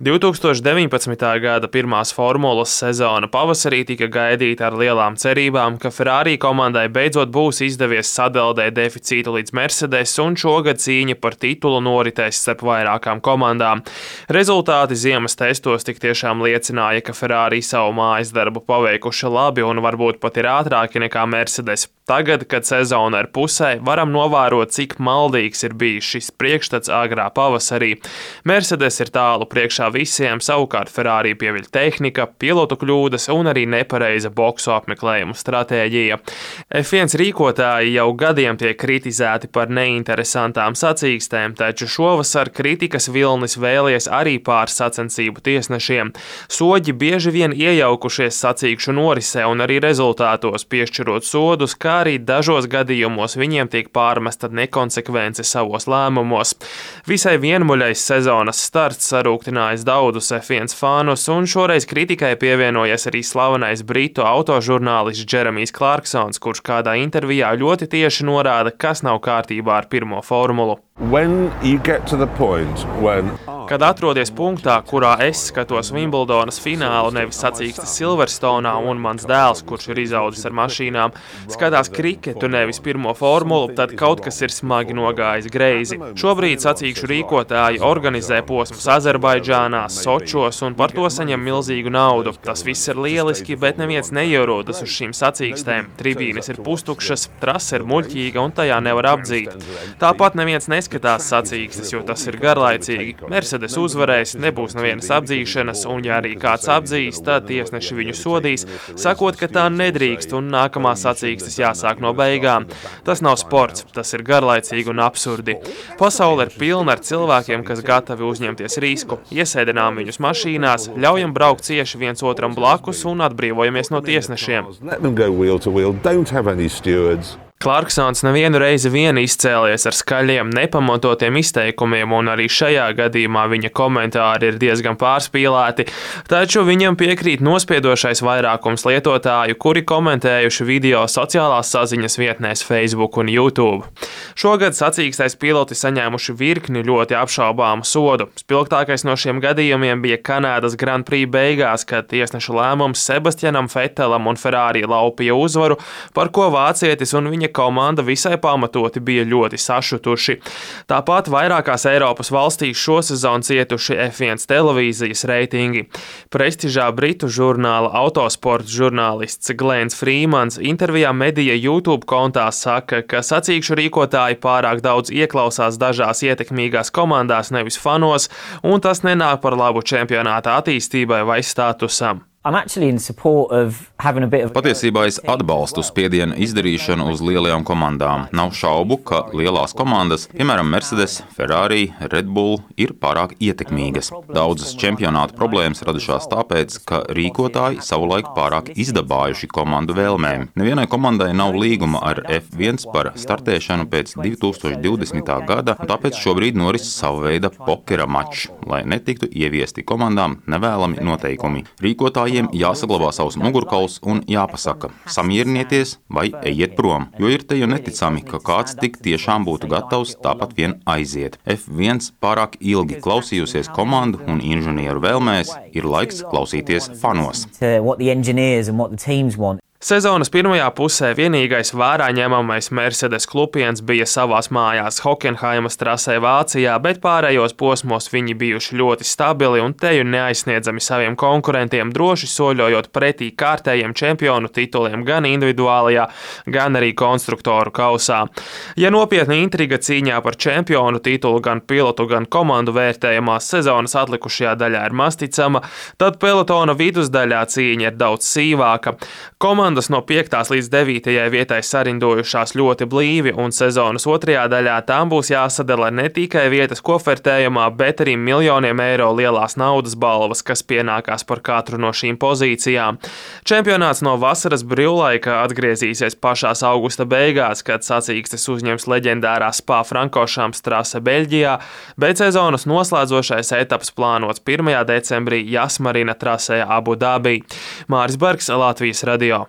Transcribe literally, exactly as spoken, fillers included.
divtūkstoš deviņpadsmitā gada pirmās formulas sezona pavasarī tika gaidīta ar lielām cerībām, ka Ferrari komandai beidzot būs izdevies sadeldēt deficītu līdz Mercedes, un šogad cīņa par titulu noritēs starp vairākām komandām. Rezultāti ziemas testos tik tiešām liecināja, ka Ferrari savu mājas darbu paveikuši labi un varbūt pat ir ātrāki nekā Mercedes. Tagad, kad sezona ir pusē, varam novērot, cik maldīgs ir bijis šis priekšstats agrā pavasarī. Mercedes ir tālu priekšā visiem, savukārt Ferrari pieviļ tehnika, pilotu kļūdas un arī nepareiza boksu apmeklējumu stratēģija. F viens rīkotāji jau gadiem tiek kritizēti par neinteresantām sacīkstēm, taču šovasar kritikas vilnis vēlies arī pār sacensību tiesnešiem. Soģi bieži vien iejaukušies sacīkšu norisē un arī rezultātos, piešķirot sodus, kā arī dažos gadījumos viņiem tiek pārmesta nekonsekvence savos lēmumos. Visai vienmuļais sezonas starts sarūktinājis daudzus F viens fānus, un šoreiz kritikai pievienojies arī slavenais britu autožurnālists Jeremijs Clarksons, kurš kādā intervijā ļoti tieši norāda, kas nav kārtībā ar pirmo formulu. When you get to the point when Kad atrodies punktā, kurā es skatos Wimbledonas finālu, nevis sacīkstes Silverstonā, un mans dēls, kurš ir izaudzis ar mašīnām, skatās kriketu, nevis pirmo formulu, tad kaut kas ir smagi nogājis greizi. Šobrīd sacīkšu rīkotāji organizē posmus Azerbaidžānā, Sočos un par to saņem milzīgu naudu. Tas viss ir lieliski, bet neviens neierodas uz šīm sacīkstēm. Tribīnes ir pustukšas, trase ir muļķīga un tajā nevar apdzīt. Tāpat neviens neskatās sacīkstes, jo tas ir garlaicīgi. Mercedes uzvarēs, nebūs nevienas apdzīšanas, un ja arī kāds apdzīs, tad tiesneši viņu sodīs, sakot, ka tā nedrīkst un nākamā sacīkstes jāsāk no beigām. Tas nav sports, tas ir garlaicīgi un absurdi. Pasaule ir pilna ar cilvēkiem, kas gatavi uzņemties risku. Iesēdinām viņus mašīnās, ļaujam braukt cieši viens otram blakus un atbrīvojamies no tiesnešiem. let them go wheel to wheel, don't have any stewards. Clarksons nevienu reizi vien izcēlies ar skaļiem, nepamatotiem izteikumiem, un arī šajā gadījumā viņa komentāri ir diezgan pārspīlēti, taču viņam piekrīt nospiedošais vairākums lietotāju, kuri komentējuši video sociālās saziņas vietnēs Facebook un YouTube. Šogad sacīkstais piloti saņēmuši virkni ļoti apšaubāmu sodu. Spilgtākais no šiem gadījumiem bija Kanādas Grand Prix beigās, kad tiesnešu lēmums Sebastianam Vettelam un Ferrari laupīja uzvaru, par ko vācietis un viņa komanda visai pamatoti bija ļoti sašutuši. Tāpat vairākās Eiropas valstīs šosezon cietuši F viens televīzijas reitingi. Prestižā britu žurnāla autosports žurnālists Glens Freemans intervijā Medija YouTube kontā saka, ka sacīkšu rīkotāji pārāk daudz ieklausās dažās ietekmīgās komandās, nevis fanos, un tas nenāk par labu čempionāta attīstībai vai statusam. Patiesībā es atbalstu spiedienu izdarīšanu uz lielajām komandām. Nav šaubu, ka lielās komandas, piemēram Mercedes, Ferrari, Red Bull, ir pārāk ietekmīgas. Daudzas čempionāta problēmas radušās tāpēc, ka rīkotāji savulaik pārāk izdabājuši komandu vēlmēm. Nevienai komandai nav līguma ar F viens par startēšanu pēc divtūkstoš divdesmitā gada, un tāpēc šobrīd noris sava veida pokera mačs, lai netiktu ieviesti komandām nevēlami noteikumi. Rīkotāji jāsaglabā savus mugurkauls un jāpasaka, samierinieties vai ejiet prom, jo ir te jau neticami, ka kāds tik tiešām būtu gatavs tāpat vien aiziet. F viens pārāk ilgi klausījusies komandu un inženieru vēlmēs, ir laiks klausīties fanos. Sezonas pirmajā pusē vienīgais vērā ņemamais Mercedes klupiens bija savās mājās Hockenheimas trasē Vācijā, bet pārējos posmos viņi bijuši ļoti stabili un teju neaizsniedzami saviem konkurentiem, droši soļojot pretī kārtējiem čempionu tituliem gan individuālajā, gan arī konstruktoru kausā. Ja nopietna intriga cīņā par čempionu titulu gan pilotu, gan komandu vērtējumās sezonas atlikušajā daļā ir masticama, tad pelotona vidusdaļā cīņa ir daudz sīvāka. Komandas no piektās līdz devītajai vietai sarindojušās ļoti blīvi, un sezonas otrajā daļā tām būs jāsadala ne tikai vietas kofertējumā, bet arī miljoniem eiro lielās naudas balvas, kas pienākās par katru no šīm pozīcijām. Čempionāts no vasaras brīvlaika atgriezīsies pašās augusta beigās, kad sacīkstes uzņems leģendārā Spa-Frankoršamps trase Beļģijā, bet sezonas noslēdzošais etaps plānots pirmajā decembrī Jasmarina trasē Abu Dabī. Māris Bergs, Latvijas radio.